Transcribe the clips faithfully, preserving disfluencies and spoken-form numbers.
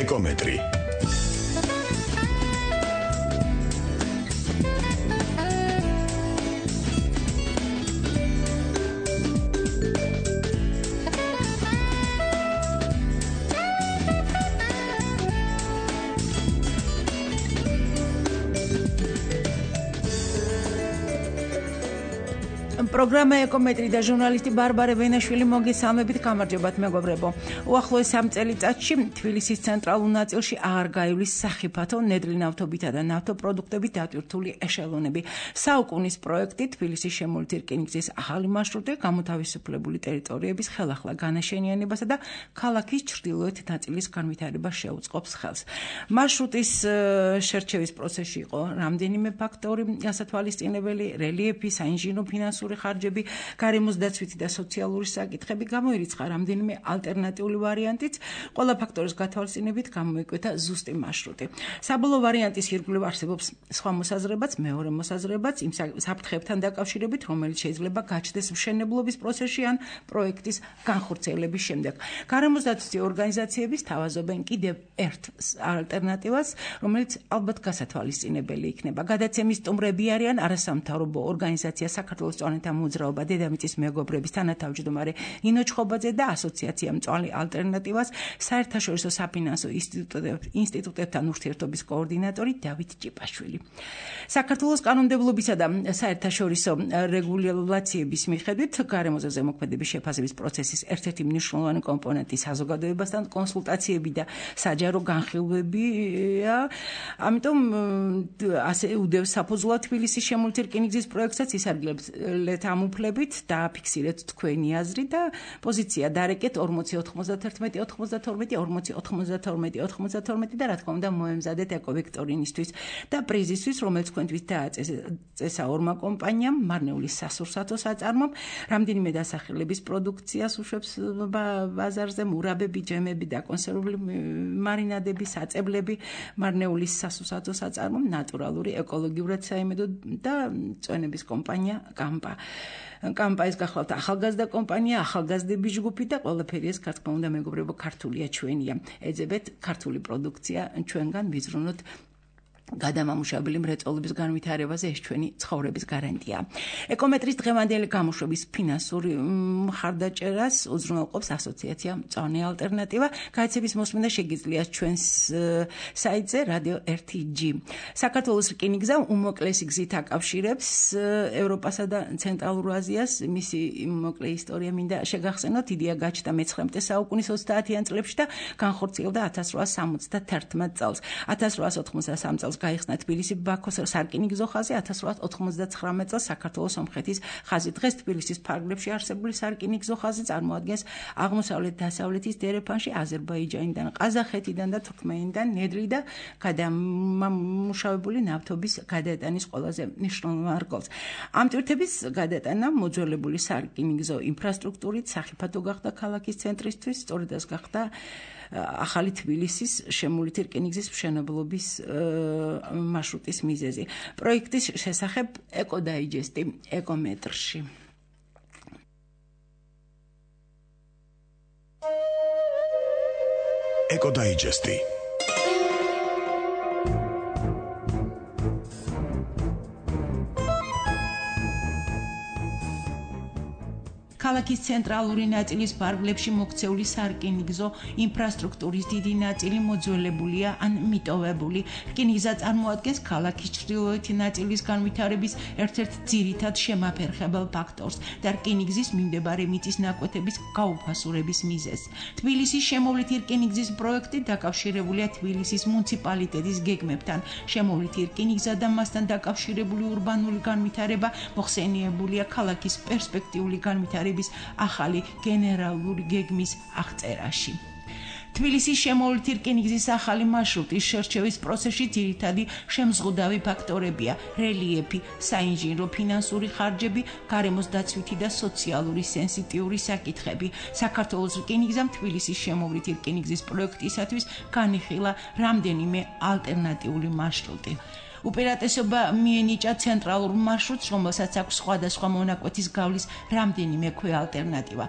ეკომეტრი. პროგრამა ეკომეტრი და ჟურნალისტი ბარბარე ვენაშვილი მოგესალმებით, გამარჯობათ მეგობრებო. უახლოეს სამ წელიწადში თბილისის ცენტრალურ ნაწილში აღარ გაივლის სახიფათო ნედლი ნავთობითა და ნავთობპროდუქტებით დატვირთული ეშელონები. საუკუნის პროექტი თბილისის შემოვლითი რკინიგზის ახალი მარშრუტი გამოთავისუფლებული ტერიტორიების ხელახლა განაშენიანებასა და ქალაქის ჩრდილოეთ ნაწილის განვითარებას შეუწყობს ხელს. მარშრუტის შერჩევის პროცესში იყო რამდენიმე ფაქტორი გასათვალისწინებელი: რელიეფი, საინჟინრო ფინანსური ხარჯები, გარემოს დაცვითი და სოციალური საკითხები, გამოირიცხა რამდენიმე ალტერნატიული ვარიანტიც, ყველა ფაქტორის გათვალისწინებით გამოიკვეთა ზუსტი მარშრუტი. საბოლოო ვარიანტის ირგვლივ არსებობს სხვა მოსაზრებაც, მეორე მოსაზრებაც იმ საფრთხეებთან დაკავშირებით, რომელიც შეიძლება გაჩნდეს მშენებლობის პროცესში ან პროექტის განხორციელების შემდეგ. გარემოს დაცვითი ორგანიზაციების თავაზობენ კიდევ ერთ ალტერნატივას, რომელიც ალბათ გასათვალისწინებელი იქნება. გადაცემის სტუმრები არიან არასამთავრობო ორგანიზაცია საქართველოს მწვანეთა მოძრაობა, დედამიწის მეგობრების თანათავმჯდომარე ნინო ჩხობაძე და ასოციაცია მწვანე ალტერნატივას საერთაშორისო საფინანსო ინსტიტუტებთან ურთიერთობის კოორდინატორი დავით ჭიპაშვილი. საქართველოს კანონმდებლობისა და საერთაშორისო რეგულაციების მიხედვით გარემოზე ზემოქმედების შეფასების პროცესის ერთ-ერთი მნიშვნელოვანი კომპონენტი საზოგადოებასთან კონსულტაციები და საჯარო განხილვებია. ამიტომ ასე უდევს საფუძვლად თბილისის შემოვლითი რკინიგზის პროექტსაც ისარგებლებს ლეთ ამუფლებით და აფიქსირეთ თქვენი აზრი და პოზიცია დარეკეთ ორმოცი ოთხმოცდათერთმეტი ოცდათორმეტი ორმოცი ოცდათორმეტი ოცდათორმეტი და რა თქმა უნდა მოემზადეთ ეკოვიქტორინისთვის და პრიზისთვის, რომელიც თქვენთვის დააწესა ორმა კომპანიამ, მარნეულის სასურსათო საწარმომ, რამდენიმე დასახელების პროდუქციას უშვებს ბაზარზე, მურაბები, ჯემები და კონსერვული მარინადები, საწებლები, მარნეულის სასურსათო საწარმომ, ნატურალური, ეკოლოგიურად საიმედო და წვენების კომპანია კამპა. კამპაის გახლავთ ახალგაზრდა კომპანია, ახალგაზრდების ჯგუფი და ყველაფერი ეს რა თქმა უნდა მეგობრებო ქართულია, ჩვენია. ეძებეთ ქართული პროდუქცია ჩვენგან ვიზრუნოთ გადამამუშავებელი მრეწველობის განვითარებაზე, ეს ჩვენი ცხოვრების გარანტია. ეკომეტრის დღევანდელი გამოშვების ფინანსური მხარდაჭერას უზრუნველყოფს ასოციაცია მწვანე ალტერნატივა. გააცემის მოსმენა შეგიძლიათ ჩვენს საიტზე რადიო ერთი ჯი. საქართველოს რკინიგზა უმოკლესი გზით აკავშირებს ევროპასა და ცენტრალურ აზიას. მისი მოკლე ისტორია მინდა შეგახსენოთ. იდეა გაჩნდა მეცხრამეტე საუკუნის ოცდაათიან წლებში და განხორციელდა ათას რვაას სამოცდათერთმეტ წელს. ათას რვაას ოთხმოცდასამ წელს გაიხსნა თბილისი ბაქოს სარკინიგზო ხაზი, ათას რვაას ოთხმოცდათხრამეტ წელს საქართველოს სომხეთის ხაზი. დღეს თბილისის ფარგლებში არსებული სარკინიგზო ხაზი წარმოადგენს აღმოსავლეთ-დასავლეთის დერეფანში აზერბაიჯანიდან, ყაზახეთიდან და თურქმენიდან ნედლი და გადამამუშავებელი ნავთობის გადატანის ყველაზე მნიშვნელოვან რგოლს. ამ ტვირთების გადატანა მოძველებული სარკინიგზო ინფრასტრუქტურით სახიფათო გახდა ქალაქის ცენტრისთვის, სწორედ ეს გახდა ახალი თბილისის შემოვლითი რკინიგზის მშენებლობის მარშრუტის მიზეზი. პროექტის შესახებ ეკოდაიჯესტი ეკომეტრში. ეკოდაიჯესტი. ქალაქის ცენტრალური ნაწილის ფარგლებში მოქცეული სარკინიგზო ინფრასტრუქტურის დიდი ნაწილი მოძველებულია ან მიტოვებული. რკინიგზა წარმოადგენს ქალაქის ჩრდილოეთი ნაწილის განვითარების ერთ-ერთ ძირითად შემაფერხებელ ფაქტორს და რკინიგზის მიმდებარე მიწის ნაკვეთების გაუფასურების მიზეზს. თბილისის შემოვლითი რკინიგზის პროექტი დაკავშირებულია თბილისის მუნიციპალიტეტის გეგმებთან. შემოვლითი რკინიგზა და მასთან დაკავშირებული ურბანული განვითარება მოხსენიებულია ქალაქის პერსპექტიული განვითარების ახალი გენერალური გეგმის აღწერაში. თბილისის შემოვლითი რკინიგზის ახალი მარშრუტის შერჩევის პროცესში ძირითადი შემზღუდავი ფაქტორებია: რელიეფი, საინჟინრო ფინანსური ხარჯები, გარემოს დაცვითი და სოციალური სენსიტიური საკითხები. საქართველოს რკინიგზამ თბილისის შემოვლითი რკინიგზის პროექტისათვის განიხილა რამდენიმე ალტერნატიული მარშრუტი. უპირატესობა მიენიჭა ცენტრალურ მარშრუტს, რომელსაც აქვს სხვადასხვა მონაკვეთის გავლის რამდენიმე ქვე ალტერნატივა.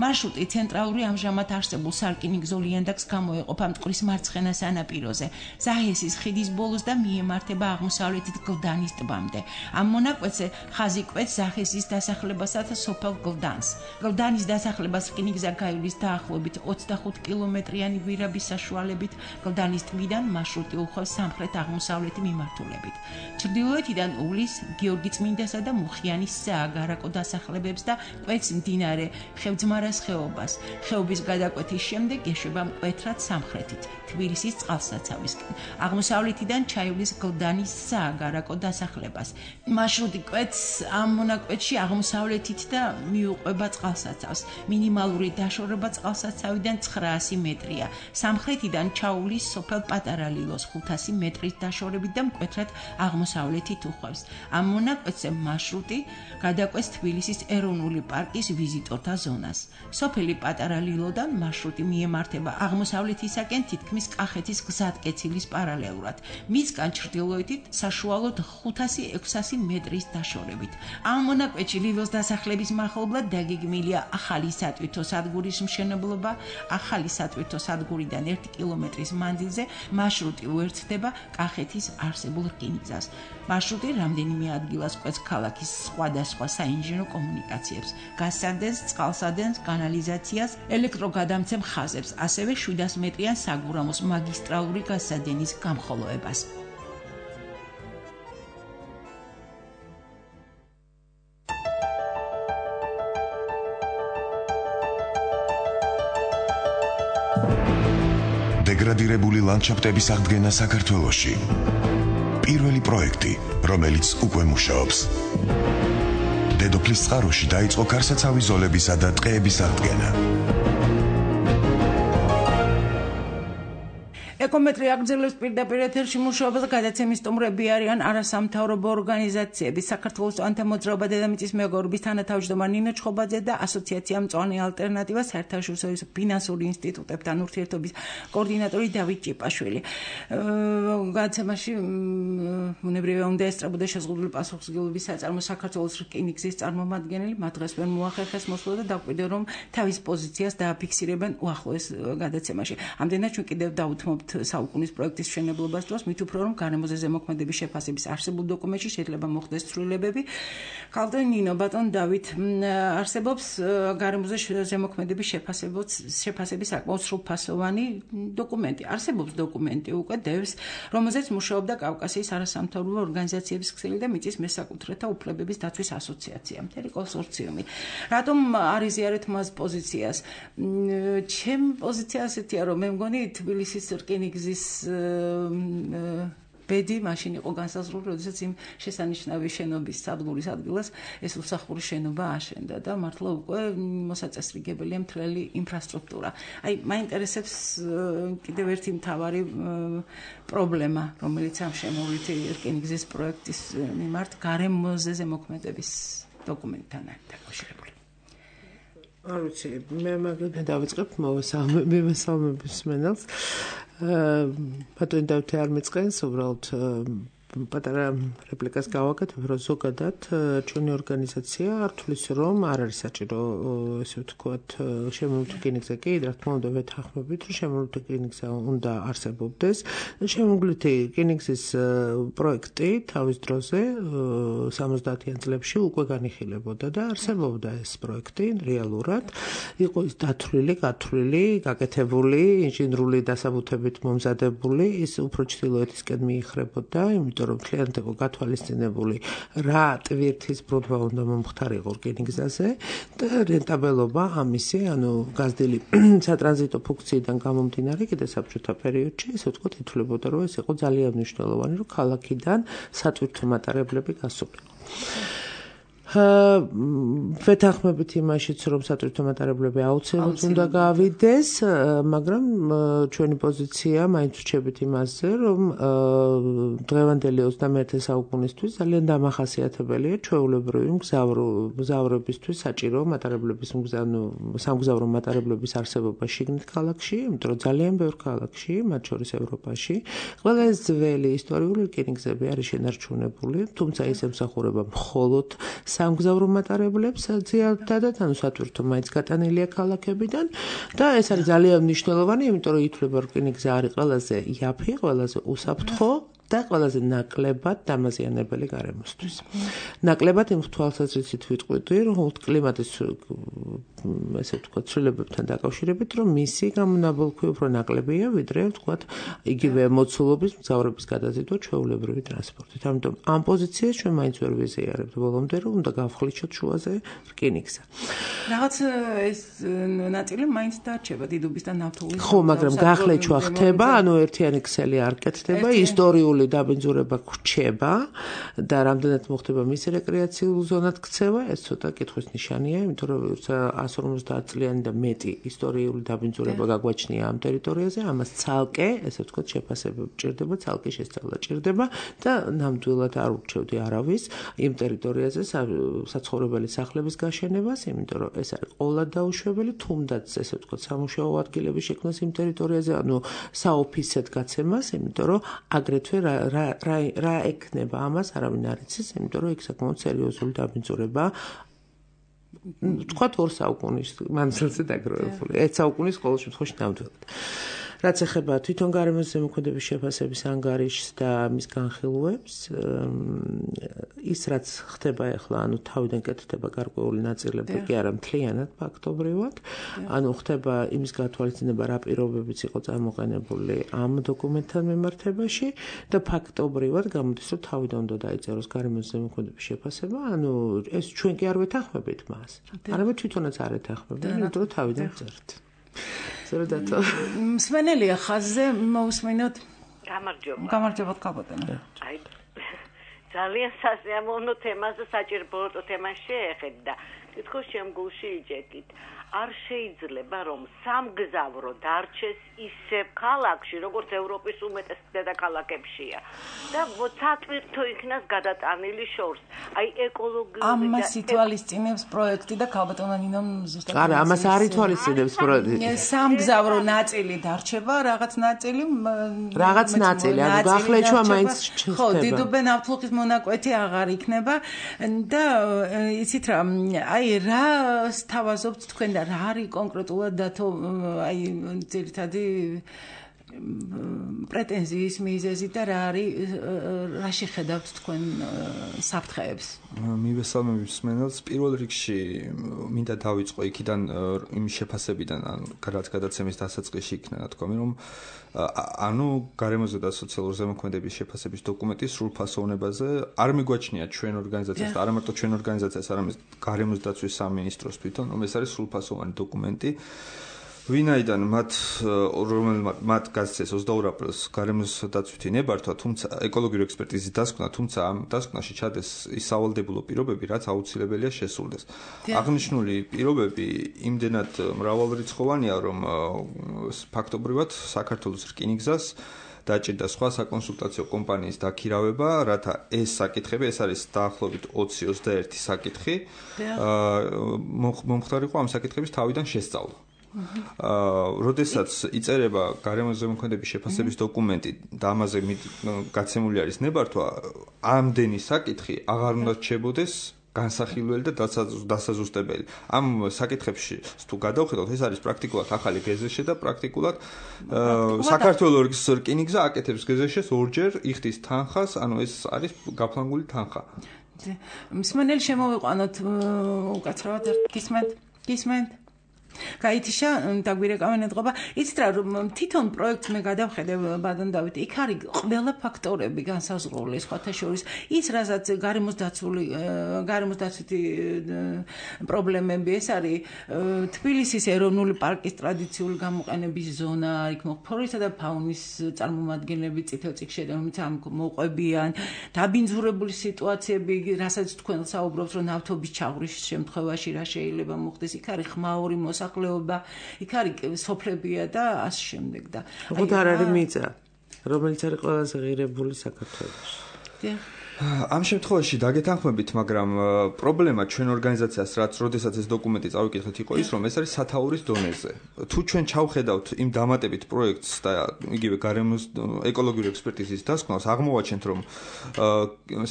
მარშრუტი ცენტრალური ამჟამად არსებულ სარკინიგზო ლიანდაგს გამოეყოფა მტკვრის მარცხენა სანაპიროზე, ზაჰესის ხიდის ბოლოს და მიემართება აღმოსავლეთით გლდანის ტბამდე. ამ მონაკვეთზე ხაზი კვეთს ზაჰესის დასახლებასა და სოფელ გლდანს. გლდანის დასახლებას რკინიგზა გაივლის დაახლოებით ოცდახუთ კილომეტრიანი გვირაბის საშუალებით, გლდანის ტბიდან მარშრუტი უხვევს სამხრეთ-აღმოსავლეთი მიმართულებით. ჩრდილოეთიდან უვლის გიორგი წმინდასა და მუხიანის სააგარაკო დასახლებებს და კვეთს მდინარე ხევძმარას ხეობას. ხეობის გადაკვეთის შემდეგ ეშვება მკვეთრად სამხრეთით, თბილისის წყალსაცავისკენ. აღმოსავლეთიდან ჩაივლის გლდანის სააგარაკო დასახლებას. მარშრუტი კვეთს ამ მონაკვეთში აღმოსავლეთით და მიუყვება წყალსაცავს. მინიმალური დაშორება წყალსაცავიდან ცხრაასი მეტრია. სამხრეთიდან ჩაუვლის სოფელ პატარა ლილოს ხუთასი მეტრის დაშორებით და მკვეთრად აღმოსავლეთით უხვევს. ამ მონაკვეთზე მარშრუტი გადაკვეთს თბილისის ეროვნული პარკის ვიზიტორთა ზონას. სოფელი პატარა ლილოდან მარშრუტი მიემართება აღმოსავლეთისაკენ თითქმის კახეთის გზატკეცილის პარალელურად. მისგან ჩრდილოეთით საშუალოდ ხუთასი ექვსასი მეტრის დაშორებით. ამ მონაკვეთში ლილოს დასახლების მახლობლად დაგეგმილია ახალი სატვირთო სადგურის მშენებლობა. ახალი სატვირთო სადგურიდან ერთი კილომეტრის მანძილზე მარშრუტი უერთდება კახეთის არსებულ რკინიგზას. მარშრუტი რამდენიმე ადგილას კვეთს ქალაქის სხვადასხვა საინჟინრო კომუნიკაციებს, გაზსადენს, წყალსადენს, კანალიზაციას, ელექტროგადამცემ ხაზებს, ასევე შვიდას მეტრიან საგურამოს მაგისტრალური გაზსადენის გამხოლოებას. დეგრადირებული ლანდშაფტების აღდგენა საქართველოში. პირველი პროექტი, რომელიც უკვე მუშაობს. დედოფლის წყაროში დაიწყო კარსაცავი ზოლებისა და ტყეების აღდგენა. ეკომეტრი აგრძელებს პირდაპირ ეთერში მუშაობას, გადაცემის სტუმრები არიან არასამთავრობო ორგანიზაციები, საქართველოს ანთემოძრაობა დედამიწის მეგობრობის თანათავმჯდომარე ნინო ჩხობაძე და ასოციაცია მწვანე ალტერნატივა საერთაშორისო ფინანსური ინსტიტუტებთან ურთიერთობის კოორდინატორი დავით ჭიპაშვილი. გადაცემაში ბუნებრივია უნდა ესწრებოდეს შეზღუდული პასუხისმგებლობის საწარმო საქართველოს რკინიგზის წარმომადგენელი, მათ დღეს ვერ მოახერხეს მოსვლა და დაკვირდა რომ თავის პოზიციას დააფიქსირებენ უახლოეს გადაცემაში. ამდენად ჩვენ კიდევ დაუთმობთ საუკუნის პროექტის მშენებლობას დროს, მით უფრო რომ გარემოზე ზემოქმედების შეფასების არსებულ დოკუმენტში შეიძლება მოხდეს ცვლილებები. ხალხო ნინო, ბატონ დავით, არსებობს გარემოზე ზემოქმედების შეფასების საკმაოდ სრულფასოვანი დოკუმენტი. არსებობს დოკუმენტი უკვე დევს, რომელზეც მუშაობდა კავკასიის არასამთავრობო ორგანიზაციების ქსელი და მიწის მესაკუთრეთა უფლებების დაცვის ასოციაცია, მთელი კონსორციუმი. რატომ არ იზიარეთ მას პოზიციას? ჩემი პოზიცია ასეთია, რომ მე მგონი თბილისის რკინიგზის ბედი მაშინ იყო განსაზღვრული, როდესაც იმ შესანიშნავი შენობის სადგურის ადგილას ეს უსახური შენობა აშენდა და მართლა უკვე მოსაწესრიგებელია მთლელი ინფრასტრუქტურა. აი, მაინტერესებს კიდევ ერთი მთავარი პრობლემა, რომელიც ამ შემოვლითი რკინიგზის პროექტის მიმართ გარემოზე ზემოქმედების დოკუმენტთან დაკავშირებული. არ ვიცი, მე მაგალითად დავიწყებ მოვესალმების მენელს. ბატონი დავითი არ მიწყენს, უბრალოდ პატარა რეპლიკას გავაკეთებ, რომ ზოგადად ჩვენი ორგანიზაცია არ თulis რომ არ არის საჭირო, ესე ვთქვათ, შემოვლითი რკინიგზა კი, რა თქმა უნდა, ვეთანხმებით, რომ შემოვლითი რკინიგზა უნდა არსებობდეს. შემოვლითი რკინიგზის პროექტი თავის დროზე სამოცდაათიან წლებში უკვე განიხილებოდა და არსებობდა ეს პროექტი რეალურად. იყო ის დათვლილი, გათვლილი, გაკეთებული, ინჟინრული დასაბუთებით მომზადებული, ის უფრო ჩრდილოეთისკენ მიიხრებოდა, იმიტომ რომ მთლიანად იყო გათვალისწინებული რა ტვირთის ბრუნვა უნდა მომხდარიყო რკინიგზაზე და რენტაბელობა ამისი, ანუ გაზრდილი სატრანზიტო ფუნქციიდან გამომდინარე კიდე საბჭოთა პერიოდში, ესე ვთქვათ, ითვლებოდა, რომ ეს იყო ძალიან მნიშვნელოვანი, რომ ქალაქიდან სატვირთო მატარებლები გასულიყო. ვეთანხმებით იმაშიც, რომ სატვირთო მატარებლები აუცილებლად უნდა გავიდეს, მაგრამ ჩვენი პოზიცია მაინც რჩებით იმაზე, რომ დღევანდელი ოცდამეერთე საუკუნისთვის ძალიან დამახასიათებელია ჩვეულებრივი მგზავრებისთვის საჭირო მატარებლების სამგზავრო მატარებლების არსებობა შიგნით ქალაქში, იმიტომ რომ ძალიან ბევრ ქალაქში, მათ შორის ევროპაში, ყველა ეს ძველი ისტორიული რკინიგზები არის შენარჩუნებული, თუმცა ის ემსახურება მხოლოდ სამგზავრო მატარებლებს ძიადადად, ანუ სატვირთო მაინც გატანილია ქალაქებიდან და ეს არის ძალიან მნიშვნელოვანი, იმიტომ რომ ითვლება რკინიგზა არის ყველაზე იაფი, ყველაზე უსაფრთხო და ყველაზე ნაკლებად დამაზიანებელი გარემოსთვის. ნაკლებად იმ თვალსაზრისით ვიტყვი, რომ კლიმატის ესე ვთქვათ, ცვლილებებთან დაკავშირებით, რომ მისი გამონაბოლქვი უფრო ნაკლებია, ვიდრე ვთქვათ, იგივე მოცულობის მგზავრების გადაზიდვა ჩვეულებრივი ტრანსპორტით. ამიტომ ამ პოზიციას ჩვენ მაინც ვერ ვიზიარებთ ბოლომდე, რომ უნდა გავხლიჩოთ შუაზე რკინიგზა. რაღაც ეს ნაწილი მაინც დარჩება დიდუბის და ნავთობის. ხო, მაგრამ გახლეჩვა ხდება, ანუ ერთიანი ქსელი არ კეთდება, ისტორიული დაბინძურება გრჩება და რამდენად მოხდება მისი რეკრეაციულ ზონად ქცევა, ეს ცოტა კითხვის ნიშანია, იმიტომ რომ ას ორმოცდაათ წლიანი და მეტი ისტორიული დაბინძურება გაგვაჩნია ამ ტერიტორიაზე, ამას ცალკე, ესე ვთქვათ, შეფასება ჭირდება, ცალკე შესწავლა ჭირდება და ნამდვილად არ ურჩევდი არავის იმ ტერიტორიაზე საცხოვრებელი სახლების გაშენებას, იმიტომ რომ ეს არის ყოვლად დაუშვებელი, თუნდაც ესე ვთქვათ, სამუშაო ადგილების შექმნას იმ ტერიტორიაზე, ანუ საოფისედ გაცემას, იმიტომ რომ აგრეთვე რა რა რა ეკნება ამას, არავინ არ იცის, იმიტომ რომ იქ საკმაოდ სერიოზული დაბინძურება თქვათ ორ საუკუნის მანძილზე დაგროვებული. ერთ საუკუნის ყოველ შემთხვევაში ნამდვილად. რაც ეხება თვითონ გარემოს ზემოქმედების შეფასების ანგარიშს და მის განხილვებს, ის რაც ხდება ახლა, ანუ თავიდან კეთდება გარკვეული ნაწილები კი არა მთლიანად ფაქტობრივად, ანუ ხდება იმის გათვალისწინება, რა პირობებიც იყო წარმოყენებული ამ დოკუმენტთან მიმართებაში და ფაქტობრივად გამოდის, რომ თავიდან უნდა დაიწეროს გარემოს ზემოქმედების შეფასება, ანუ ეს ჩვენ კი არ ვეთანხმებით მას. არამედ თვითონაც არ ეთანხმებთ, იმიტომ რომ თავიდან წერთ. ზრდათო. მსმენელია ხაზზე, მოусმინოთ. გამარჯობა. გამარჯობა ქალბატონო. აი ძალიან სასიამოვნო თემას და საჭირო თემას შეეხეთ და თითქოს შემგულში იჯეკით. არ შეიძლება რომ სამგზავრო დარჩეს ისევ ქალაქში, როგორც ევროპის უმეტეს დედაქალაქებშია. და სატვირთო იქნას გადატანილი შორს. აი ეკოლოგიური და ამას ითვალისწინებს პროექტი და ქალბატონო ნინომ ზუსტად. არა, ამას არ ითვალისწინებს პროექტი. სამგზავრო ნაწილი დარჩება, რაღაც ნაწილი რაღაც ნაწილი, ანუ გახლეჩვა მაინც ჩნდება. ხო, დიდუბე ნავთლუღის მონაკვეთი აღარ იქნება და იცით რა, აი რა სთავაზობთ თქვენ და რა არის კონკრეტულად დათო აი ძირითადი პრეტენზიის მიზეზი და რა არის რა შეხედავთ თქვენ საფრთხეებს? მივესალმებით მსმენელს. პირველ რიგში მინდა დავიწყო იქიდან იმ შეფასებიდან, ანუ რაც გადაცემის დასაწყისში იქნა თქვი, რომ ანუ გარემოზე და სოციალურ ზემოქმედების შეფასების დოკუმენტის სრულფასოვნებაზე არ მიგვაჩნია ჩვენ ორგანიზაციას და არა მარტო ჩვენ ორგანიზაციას, არამედ გარემოს დაცვის სამინისტროს თვითონ, რომ ეს არის სრულფასოვანი დოკუმენტი. ვინაიდან მათ რომელმაც მათ გასცეს ოცდაორ აპრილს გარემოს დაცვითი ნებართვა, თუმცა ეკოლოგიური ექსპერტიზის დასკვნა, თუმცა ამ დასკვნაში ჩადეს ის სავალდებულო პირობები, რაც აუცილებელია შესრულდეს. აღნიშნული პირობები იმდენად მრავალრიცხოვანია, რომ ფაქტობრივად საქართველოს რკინიგზას დაჭირდა სხვა საკონსულტაციო კომპანიის დაქირავება, რათა ეს საკითხები, ეს არის დაახლოებით ოცი ოცდაერთი საკითხი, მომხდარიყო ამ საკითხების თავიდან შესწავლა. როდესაც იწერება გარემოს ზემოქმედების შეფასების დოკუმენტი და ამაზე გაცემული არის ნებართვა, ამდენი საკითხი აღარ უნდა რჩებოდეს განსახილველი და დასაზუსტებელი. ამ საკითხებში თუ გადავხედოთ, ეს არის პრაქტიკულად ახალი გეზეშე და პრაქტიკულად საქართველოს რკინიგზა აკეთებს გეზეშეს ორჯერ იხდის თანხას, ანუ ეს არის გაფლანგული თანხა. მსმენელი შემოვიყვანოთ უკაცრავად გისმენთ? გისმენთ? გაითიშა დაგვირეკავენ ეთყობა. იცით რა, რომ თვითონ პროექტს მე გადავხედე ბადან დავით, იქ არის ყველა ფაქტორები განსაზღვრული, სხვათა შორის ის, რასაც გარემოს დაცული, გარემოს დაცვითი პრობლემები, ეს არის თბილისის ეროვნული პარკის ტრადიციული გამოყენების ზონა, იქ ფლორისა და ფაუნის წარმომადგენლები წითელ წიგნში რომელიც ამ მოყვებიან, დაბინძურებული სიტუაციები, რასაც თქვენ საუბრობთ, რომ ნავთობის ჩაღვრის შემთხვევაში რა შეიძლება მოხდეს, იქ არის ხმაური მოსახლეობა, იქ არის სოფლებია და ასე შემდეგ და უბრალოდ არ არის მიწა, რომელიც არის ყველაზე ღირებული საქართველოში. ამ შემთხვევაში დაგეთანხმებით, მაგრამ პრობლემა ჩვენ ორგანიზაციას რაც როდესაც ეს დოკუმენტი წავიკითხეთ იყო ის, რომ ეს არის სათაურის დონეზე. თუ ჩვენ ჩავხედავთ იმ დამატებით პროექტს და იგივე გარემოს ეკოლოგიური ექსპერტიზის დასკვნას, აღმოვაჩენთ, რომ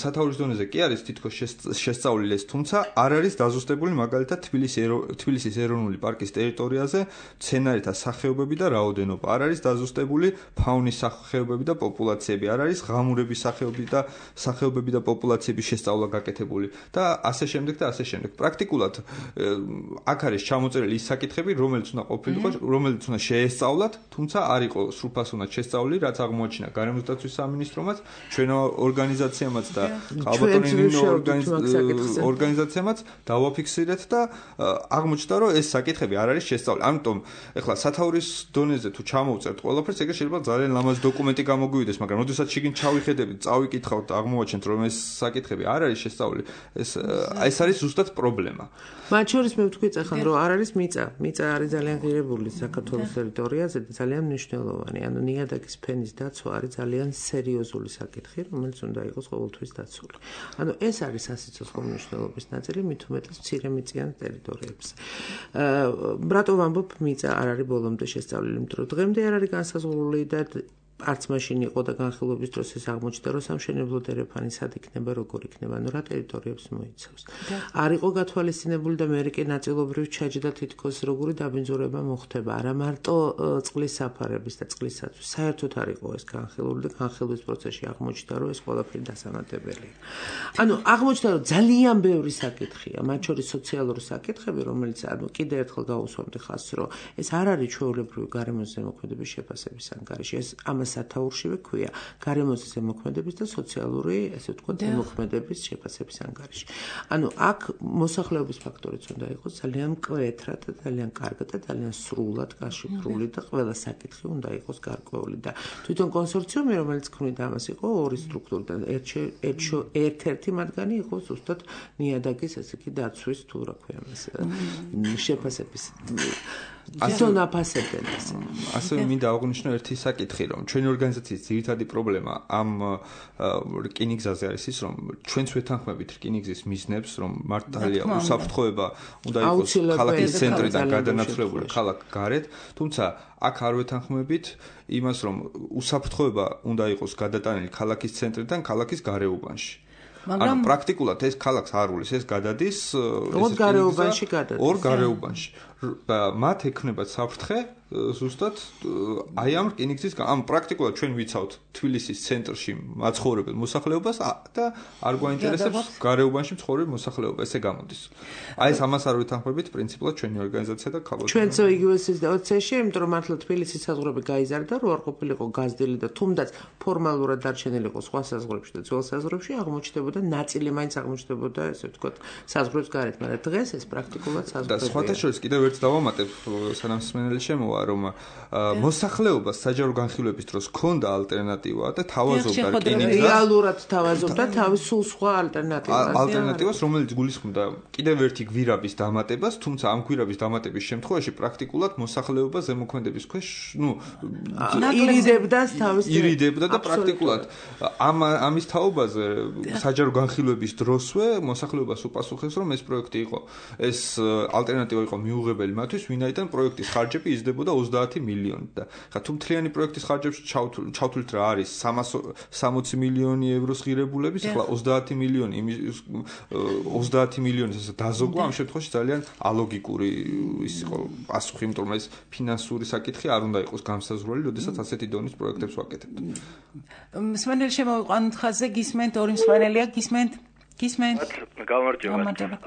სათაურის დონეზე კი არის თითქოს შესწავლილი ეს, თუმცა არ არის დაზუსტებული მაგალითად თბილისის ეროვნული პარკის ტერიტორიაზე მცენარეთა სახეობები და რაოდენობა, არ არის დაზუსტებული ფაუნის სახეობები და პოპულაციები, არ არის ღამურების სახეობები და სახეობები და პოპულაციების შესწავლა გაკეთებული და ასე შემდეგ და ასე შემდეგ. პრაქტიკულად აქ არის ჩამოწერილი ის საკითხები, რომელიც უნდა ყოფილიყო, რომელიც უნდა შეესწავლათ, თუმცა არ იყო სრულფასოვნად შესწავლილი, რაც აღმოაჩინა გარემოს დაცვის სამინისტრომაც, ჩვენ ორგანიზაციამაც და ალბათ ორგანიზაციამაც დავაფიქსირეთ და აღმოჩნდა, რომ ეს საკითხები არ არის შესწავლილი. ამიტომ ეხლა სათაურის დონეზე თუ ჩამოვწერთ ყველაფერს, ეგრე შეიძლება ძალიან ლამაზ დოკუმენტი გამოგვივიდეს, მაგრამ როდესაც შიგნით ჩავიხედებით, წავიკითხავთ, აღმოვაჩენთ, რომ ეს საკითხები არ არის შესწავლილი, ეს ეს არის ზუსტად პრობლემა. მათ შორის მე ვთქვი წახან, რომ არ არის მიწა. მიწა არის ძალიან ღირებული საქართველოს ტერიტორიაზე და ძალიან მნიშვნელოვანი. ანუ ნიადაგის ფენის დაცვა არის ძალიან სერიოზული საკითხი, რომელიც უნდა იყოს ყოველთვის დაცული. ანუ ეს არის სასიცოცხლო მნიშვნელობის ნაწილი, მით უმეტეს მცირემიწიან ტერიტორიებზე. რატო ვამბობ, მიწა არ არის ბოლომდე შესწავლილი, იმიტომ რომ დღემდე არ არის განსაზღვრული და არც მაშინ იყო და განხილვების დროს ეს აღმოჩნდა, რომ სამშენებლო დერეფანი სად იქნება, როგორ იქნება, ანუ რა ტერიტორიებს მოიცავს. არ იყო გათვალისწინებული და მე კი ნაწილობრივ ჩაჯდა თითქოს როგორი დაბინძურება მოხდება, არა მარტო წყლის საფარების და წყლისაცვის. საერთოდ არ იყო ეს განხილული და განხილვის პროცესში აღმოჩნდა, რომ ეს ყველაფერი დასამატებელია. ანუ აღმოჩნდა, რომ ძალიან ბევრი საკითხია, მათ შორის სოციალური საკითხები, რომელიც ანუ კიდევ ერთხელ გავუსვამდი ხაზს, რომ ეს არ არის ჩვეულებრივი გარემოს ზემოქმედების შეფასების ანგარიში. ეს ამას სათაურშივე ქვია გარემოს ზემოქმედების და სოციალური, ესე ვთქვათ, ზემოქმედების შეფასების ანგარიში. ანუ აქ მოსახლეობის ფაქტორიც უნდა იყოს ძალიან მკვეთრად და ძალიან კარგად და ძალიან სრულად გაშიფრული და ყველა საკითხი უნდა იყოს გარკვეული და თვითონ კონსორციუმი, რომელიც ქმნიდა ამას, იყო ორი სტრუქტურა და ერთ-ერთი მათგანი იყო ზუსტად ნიადაგის, ესე იგი, დაცვის თუ რა ქვია მას შეფასების ასონ აფასებენ ასე. ასევე მინდა აღვნიშნო ერთი საკითხი, რომ ჩვენი ორგანიზაციის ძირითადი პრობლემა ამ რკინიგზაზე არის ის, რომ ჩვენც ვეთანხმებით რკინიგზის მიზნებს, რომ მართალია უსაფრთხოება უნდა იყოს ქალაქის ცენტრიდან გადანაცვლებული ქალაქ გარეთ, თუმცა აქ არ ვეთანხმებით იმას, რომ უსაფრთხოება უნდა იყოს გადატანილი ქალაქის ცენტრიდან ქალაქის გარეუბანში. ანუ პრაქტიკულად ეს ქალაქს არ უვლის, ეს გადადის ორ გარეუბანში გადადის. ორ გარეუბანში. და მათ ექნებათ საფრთხე ზუსტად აი ამ რკინიგზის ამ პრაქტიკულად ჩვენ ვიცავთ თბილისის ცენტრში მაცხოვრებელ მოსახლეობას და არ გვაინტერესებს გარეუბანში მცხოვრებ მოსახლეობა, ესე გამოდის. აი ეს ამას არ ვეთანხმებით პრინციპულად ჩვენი ორგანიზაცია და ქალაქი. ჩვენც იგივეს დაცეში, იმიტომ რომ მართლა თბილისის საზღვრები გაიზარდა, რომ არ ყოფილიყო გაზრდილი და თუნდაც ფორმალურად დარჩენილიყო სხვა საზღვრებში და ძველ საზღვრებში აღმოჩნდებოდა ნაწილი მაინც აღმოჩნდებოდა, ესე ვთქვათ, საზღვრებს გარეთ, მაგრამ დღეს ეს პრაქტიკულად საზღვრებია. და სხვათა შორის კიდევ ერთ დავამატებ, სანამ სმენელი შემოვა, რომ მოსახლეობას საჯარო განხილვების დროს ჰქონდა ალტერნატივა და თავაზობდა რკინიგზას. რეალურად თავაზობდა თავის სულ სხვა ალტერნატივას. ალტერნატივას, რომელიც გულისხმობდა კიდევ ერთი გვირაბის დამატებას, თუმცა ამ გვირაბის დამატების შემთხვევაში პრაქტიკულად მოსახლეობა ზემოქმედების ქვეშ, ნუ ირიდებდა თავის ირიდებდა და პრაქტიკულად ამ ამის თაობაზე საჯარო განხილვების დროსვე მოსახლეობას უპასუხეს, რომ ეს პროექტი იყო, ეს ალტერნატივა იყო მიუღებელი მათთვის, ვინაიდან პროექტის ხარჯები იზრდებოდა ოცდაათი მილიონი და ხა თუ მთლიანი პროექტის ხარჯებში ჩავთვლით რა არის სამოცი მილიონი ევროს ღირებულების, ახლა ოცდაათი მილიონი ოცდაათი მილიონის ესე დაზოგვა ამ შემთხვევაში ძალიან ალოგიკური ის იყო პასუხი, იმიტომ რომ ეს ფინანსური საკითხი არ უნდა იყოს განსაზღვრელი, როდესაც ასეთი დონის პროექტებს ვაკეთებთ. მსმენელი შემოვიყვანოთ ხაზზე, გისმენთ, ორი მსმენელია, გისმენთ. გისმენთ. გამარჯობა.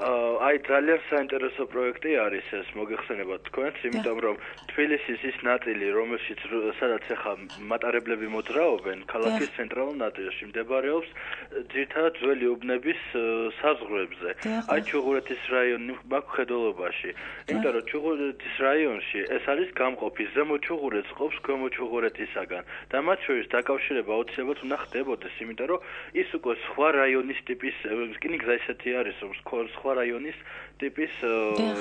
აი ძალიან საინტერესო პროექტი არის ეს, მოგეხსენებათ თქვენს, იმიტომ რომ თბილისის ის ნაწილი, რომელშიც სადაც ახლა მატარებლები მოძრაობენ, ქალაქის ცენტრალურ ნაწილში მდებარეობს ძირითადად ძველი უბნების საზღვრებზე. აი ჩუღურეთის რაიონი მაქხედველობაში. იმიტომ რომ ჩუღურეთის რაიონში ეს არის გამყოფი, ზემო ჩუღურეთს ყოფს ქვემო ჩუღურეთისაგან და მათ შორის დაკავშირება აუცილებლად უნდა ხდებოდეს, იმიტომ რომ ის უკვე სხვა რაიონის ტიპის რკინიგზა ისეთი არის, რომ სხვა რაიონის ტიპის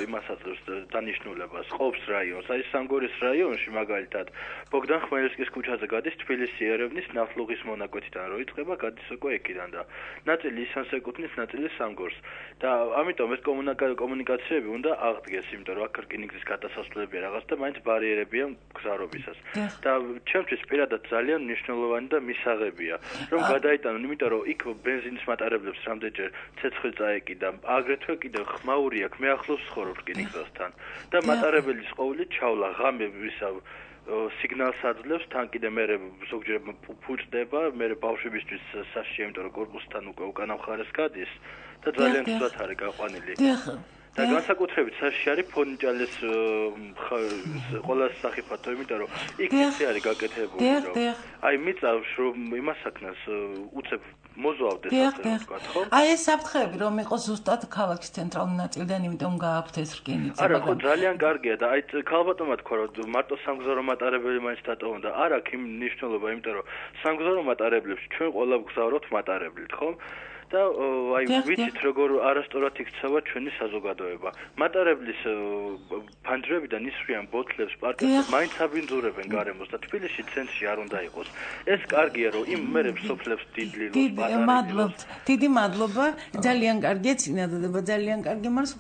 იმას აძლევს დანიშნულებას, ყოფს რაიონს. აი სამგორის რაიონში მაგალითად ბოგდან ხმელნიცკის ქუჩაზე გადის თბილისი ერევნის ნავთლუღის მონაკვეთიდან რო იწყება, გადის უკვე ეკიდან და ნაწილი ისანს ეკუთვნის, ნაწილი სამგორს. და ამიტომ ეს კომუნიკაციები უნდა აღდგეს, იმიტომ რომ აქ რკინიგზის გადასასვლელებია რაღაც და მაინც ბარიერებია მგზავრობისას. და ჩემთვის პირადად ძალიან მნიშვნელოვანი და მისაღებია, რომ გადაიტანონ, იმიტომ რომ იქ ბენზინის მატარებლებს რამდენჯერ ცეცხლი წაეკიდა, აგრეთვე კიდევ ხმაური აქვს, მე ახლოს ვცხოვრობ რკინიგზასთან და მატარებლის ყოველით ჩავლა ღამე ვისა სიგნალს აძლევს, თან კიდე მე ზოგჯერ ფუჭდება, მე ბავშვებისთვის საშია, იმიტომ რომ კორპუსთან უკვე უკანა მხარეს გადის და ძალიან ცუდად არის გაყვანილი. და განსაკუთრებით საშიში არის ფონიჭალის ყოველას სახიფათო, იმიტომ რომ იქ ისე არის გაკეთებული, რომ აი მიწავს რომ იმას აქნას უცებ მოზვავდეს ასე ვთქვათ, ხო? აი ეს საფრთხეები რომ იყოს ზუსტად ქალაქის ცენტრალური ნაწილიდან, იმიტომ გააქვთ ეს რკინიგზა. არა, ხო, ძალიან კარგია და აი ქალბატონმა თქვა რომ მარტო სამგზავრო მატარებელი მაინც დატოვონ და არ აქვს იმ მნიშვნელობა, იმიტომ რომ სამგზავრო მატარებლებში ჩვენ ყველა ვგზავრობთ მატარებლით, ხო? და აი ვიცით როგორ არასწორად იქცევა ჩვენი საზოგადოება. მატარებლის ფანჯრებიდან ისვრიან ბოთლებს პარკებში, მაინც აბინძურებენ გარემოს და თბილისში ცენტრში არ უნდა იყოს. ეს კარგია რომ იმ მერებს სოფლებს დიდლილოს პატარა. მადლობთ. დიდი მადლობა. ძალიან კარგია წინადადება, ძალიან კარგი, მაგრამ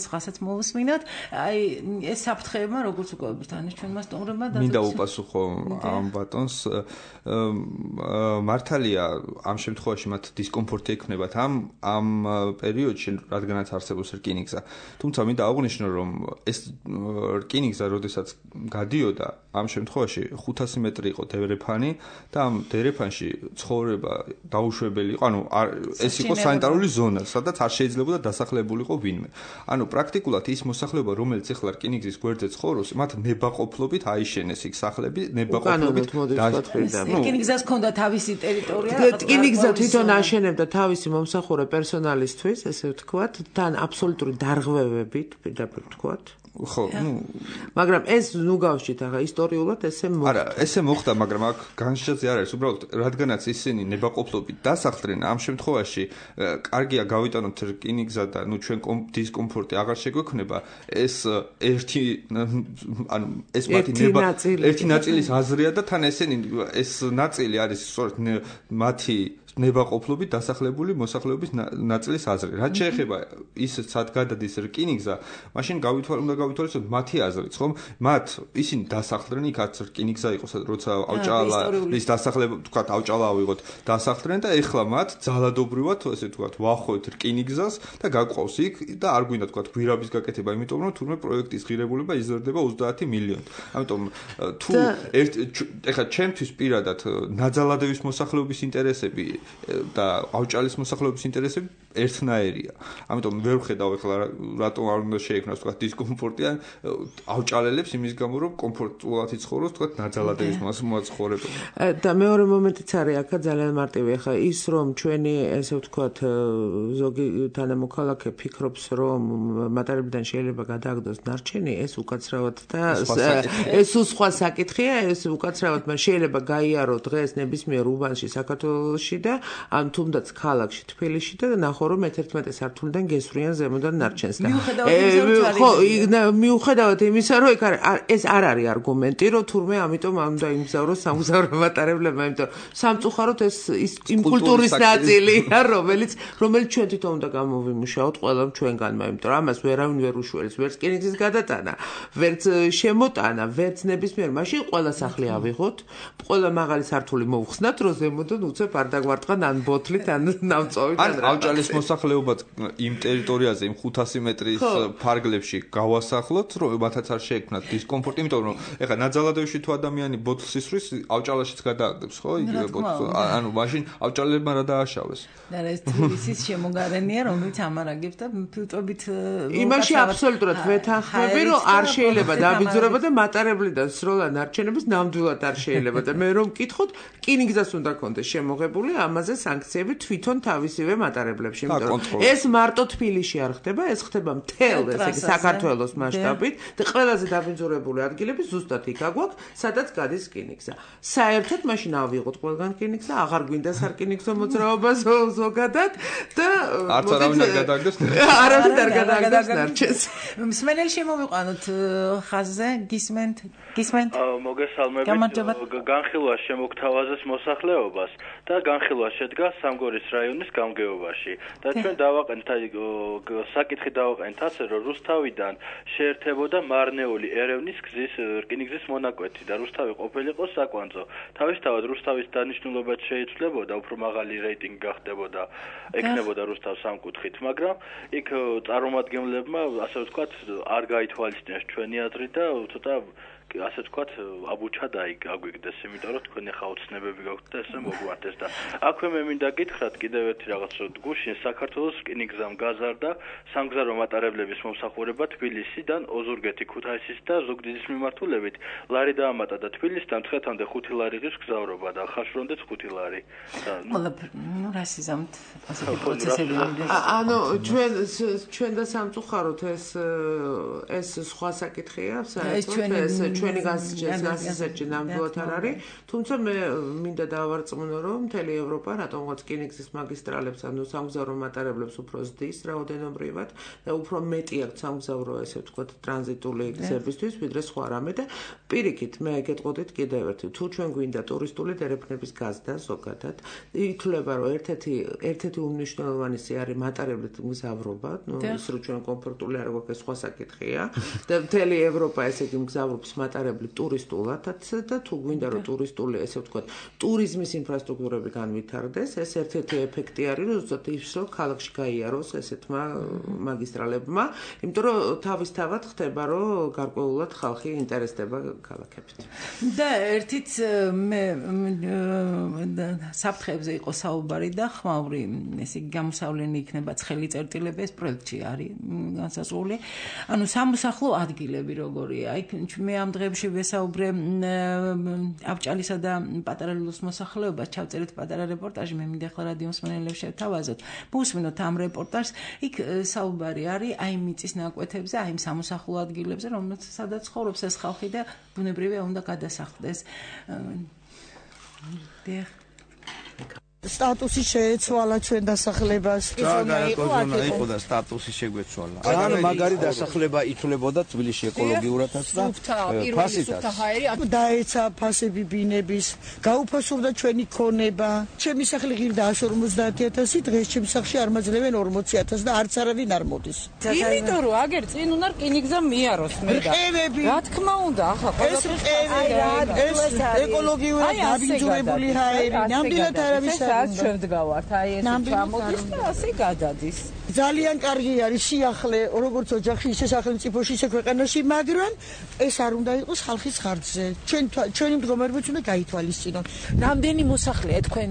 სხვასაც მოვუსმინოთ. აი ეს საფრთხეებმა როგორც უკვე ბრთანის ჩვენმა სტუმრებმა და მინდა უპასუხო ამ ბატონს. მართალია ამ შემთხვევაში მათ დისკომფორტი ექნება ამ ამ პერიოდში, რადგანაც არსებობს რკინიგზა. თუმცა მინდა აღვნიშნო, რომ ეს რკინიგზა, როდესაც გადიოდა, ამ შემთხვევაში ხუთასი მეტრი იყო დერეფანი და ამ დერეფანში ცხოვრება დაუშვებელი იყო, ანუ ეს იყო სანიტარული ზონა, სადაც არ შეიძლებოდა დასახლებულიყო ვინმე. ანუ პრაქტიკულად ის მოსახლეობა, რომელიც ეხლა რკინიგზის გვერდზე ცხოვრობს, მათ ნებაყოფლობით აიშენეს იქ სახლები, ნებაყოფლობით რკინიგზას ჰქონდა თავისი ტერიტორია. რკინიგზა თვითონ აშენებდა თავისი მომსახურე პერსონალისთვის, ესე ვთქვათ, თან აბსოლუტური დარღვევებით, პირდაპირ ვთქვათ. ხო, ნუ მაგრამ ეს ნუ გავშით ახლა ისტორიულად ესე მოხდა. არა, ესე მოხდა, მაგრამ აქ განსხვავებაც არ არის. უბრალოდ რადგანაც ისინი ნებაყოფლობით დასახლდნენ, ამ შემთხვევაში კარგია გავიტანოთ რკინიგზა და ნუ ჩვენ დისკომფორტი აღარ შეგვექნება, ეს ერთი ანუ ეს მათი ნება ერთი ნაწილის აზრია და თან ესენი ეს ნაწილი არის სწორედ მათი ნებაყოფლობით დასახლებული მოსახლეობის ნაწილის აზრი. რაც შეეხება ის სად გადადის რკინიგზა, მაშინ გავითვალ უნდა გავითვალოს მათი აზრიც, ხომ? მათ ისინი დასახლდნენ იქაც რკინიგზა იყო, როცა ავჭალის დასახლება, თქვათ, ავჭალა ავიღოთ, დასახლდნენ და ეხლა მათ ძალადობრივად, ესე ვთქვათ, ვახვევთ რკინიგზას და გაგვყავს იქ და არ გვინდა თქვათ გვირაბის გაკეთება, იმიტომ რომ თურმე პროექტის ღირებულება იზრდება ოცდაათი მილიონი. ამიტომ თუ ეხლა ჩემთვის პირადად ნაძალადევის მოსახლეობის ინტერესები და ავჭალის მოსახლეობის ინტერესები ერთნაირია. ამიტომ ვერ ვხედავ ეხლა რატომ არ უნდა შეექმნას თქვა დისკომფორტი ავჭალელებს იმის გამო რომ კომფორტულად იცხოვროს თქვა ნაძალადევის მოსახლეობა. და მეორე მომენტიც არის აქა ძალიან მარტივი. ეხლა ის რომ ჩვენი ესე ვთქვათ ზოგი თანამოქალაქე ფიქრობს რომ მატარებიდან შეიძლება გადააგდოს ნარჩენი, ეს უკაცრავად და ეს სხვა საკითხია, ეს უკაცრავად მას შეიძლება გაიარო დღეს ნებისმიერ უბანში საქართველოში და ან თუნდაც ქალაქში თბილისში და ნახო რომ მეთერთმეტე სართულიდან გესვრიან ზემოდან ნარჩენს და ხო მიუხედავად იმისა რომ ეს არ არის არგუმენტი რომ თურმე ამიტომ არ უნდა იმგზავროს სამგზავრო მატარებლებმა, იმიტომ სამწუხაროდ ეს იმ კულტურის ნაწილია რომელიც რომელიც ჩვენ თვითონ უნდა გამოვიმუშაოთ ყველამ ჩვენგანმა, იმიტომ რომ ამას ვერავინ ვერ უშველებს, ვერც რკინიგზის გადატანა, ვერც შემოტანა, ვერც ნებისმიერ მაშინ ყველა სახლი ავიღოთ, ყველა მაღალი სართული მოვხსნათ, რომ ზემოდან უცებ არ დაგვარტყან ან ბოთლით ან ნავწოვით ან ავჭალის მოსახლეობაც იმ ტერიტორიაზე იმ ხუთასი მეტრის ფარგლებში გავასახლოთ, რომ მათაც არ შეექმნათ დისკომფორტი, იმიტომ რომ ეხლა ნაძალადევში თუ ადამიანი ბოთლს ისვრის, ავჭალაშიც გადააგდებს, ხო? იგივე ბოთლს. ანუ მაშინ ავჭალებმა რა დააშავეს. და ეს თბილისის შემოგარენია, რომელიც ამარაგებს და ფილტრობით იმაში აბსოლუტურად ვეთანხმები, რომ არ შეიძლება დაბინძურება და მატარებლიდან სროლა ნარჩენების ნამდვილად არ შეიძლება და მე რომ მკითხოთ, რკინიგზას უნდა კონდეს შემოღებული ამაზე სანქციები თვითონ თავისივე მატარებლებში, იმიტომ რომ ეს მარტო თბილისში არ ხდება, ეს ხდება მთელ ესე იგი საქართველოს მასშტაბით და ყველაზე დაბინძურებული ადგილები ზუსტად იქ აგვაქვს, სადაც გადის რკინიგზა. საერთოდ მაშინ ავიღოთ ყველგან რკინიგზა, აღარ გვინდა სარკინიგზო მოძრაობა ზოგადად და არც არავინ არ გადააგდეს. არავინ არ გადააგდეს ნარჩენს. მსმენელი შემოვიყვანოთ ხაზზე, გისმენთ, გისმენთ. მოგესალმებით. განხილვა შემოგთავაზეს მოსახლეობას და განხილვა შედგა სამგორის რაიონის გამგეობაში და ჩვენ დავაყენთ საკითხი დავაყენთ ასე რომ რუსთავიდან შეერთებოდა მარნეული ერევნის გზის რკინიგზის მონაკვეთი და რუსთავი ყოფილიყო საკვანძო. თავისთავად რუსთავის დანიშნულებაც შეიცვლებოდა, უფრო მაღალი რეიტინგი გახდებოდა, ეკნებოდა რუსთავს სამკუთხით, მაგრამ იქ წარმომადგენლებმა ასე ვთქვათ არ გაითვალისწინეს ჩვენი აზრი და ცოტა ასე ვთქვათ აბუჩა დაიგვიგდეს, იმიტომ რომ თქვენი ხაოცნებები გაქვთ და ესე მოგვარდეს და აქვე მე მინდა გითხრათ კიდევ ერთი რაღაც, რომ გუშინ საქართველოს რკინიგზამ გაზარდა სამგზავრო მატარებლების მომსახურება თბილისიდან ოზურგეთი, ქუთაისის და ზუგდიდის მიმართულებით. ლარი დაამატა და თბილისიდან მცხეთამდე ხუთი ლარი ღირს გზავრობა და ხაშვრამდეც ხუთი ლარი. ნუ რასიზამთ ასეთი პროცესები. ანუ ჩვენ ჩვენ და სამწუხაროდ ეს ეს სხვა საკითხია, საერთოდ ეს ჩვენი გასაჭიროებაში ნამდვილად არ არის, თუმცა მე მინდა დავარწმუნო, რომ მთელი ევროპა რატომღაც რკინიგზის მაგისტრალებს, ანუ სამგზავრო მატარებლებს უფრო ზრდის რაოდენობრივად და უფრო მეტი აქვს სამგზავრო, ესე ვთქვათ, ტრანზიტული გზებისთვის, ვიდრე სხვა რამე და პირიქით, მე გეტყოდით კიდევ ერთი, თუ ჩვენ გვინდა ტურისტული დერეფნების გაზრდა ზოგადად, ითვლება, რომ ერთ-ერთი ერთ-ერთი უმნიშვნელოვანესი არის მატარებლით მგზავრობა, ნუ ის რომ ჩვენ კომფორტული არ გვაქვს, სხვა საკითხია და მთელი ევროპა ესე იგი მგზავრობს მატარებლით ტურისტულადაც და თუ გვინდა რომ ტურისტული, ესე ვთქვათ, ტურიზმის ინფრასტრუქტურები განვითარდეს, ეს ერთ-ერთი ეფექტი არის, რომ ზუსტად ის რომ ქალაქში გაიაროს ესეთმა მაგისტრალებმა, იმიტომ რომ თავისთავად ხდება, რომ გარკვეულად ხალხი ინტერესდება ქალაქებით. და ერთიც მე საფრთხეებზე იყო საუბარი და ხმაური, ესე იგი გამოსავლენი იქნება ცხელი წერტილები, ეს პროექტში არის განსაზღვრული. ანუ სამოსახლო ადგილები როგორია? იქ მე ამ დღეებში ვესაუბრე აბჭალისა და პატარა ლილოს მოსახლეობას, ჩავწერეთ პატარა რეპორტაჟი, მე მინდა ახლა რადიო მსმენელებს შევთავაზოთ. მოვუსმინოთ ამ რეპორტაჟს, იქ საუბარი არის აი მიწის ნაკვეთებზე, აი იმ სამოსახლო ადგილებზე, რომელსაც სადაც ცხოვრობს ეს ხალხი და ბუნებრივია უნდა გადასახლდეს. სტატუსი შეეცვალა ჩვენ დასახლებას. ზონა იყო და სტატუსი შეგვეცვალა. ან მაგარი დასახლება ითვლებოდა თბილისში ეკოლოგიურადაც და ფასითაც. დაეცა ფასები ბინების, გაუფასოვდა ჩვენი ქონება. ჩემი სახლი ღირდა εκατს ორმოცდაათი ათასი, დღეს ჩემს სახლში არ მაძლევენ ორმოცი ათასი და არც არავინ არ მოდის. იმიტომ რომ აგერ წინ უნდა რკინიგზა მიაროს მე და. რა თქმა უნდა, ახლა ყველაფერი ეს ეკოლოგიურად დაბინძურებული ჰაერი, ნამდვილად არავის რაც ჩვენ ვდგავართ, აი ეს ჩამოდის და ასე გადადის. ძალიან კარგი არის სიახლე, როგორც ოჯახში, ისე სახელმწიფოში, ისე ქვეყანაში, მაგრამ ეს არ უნდა იყოს ხალხის ხარჯზე. ჩვენ ჩვენი მდგომარეობაც უნდა გაითვალისწინოთ. რამდენი მოსახლეა თქვენ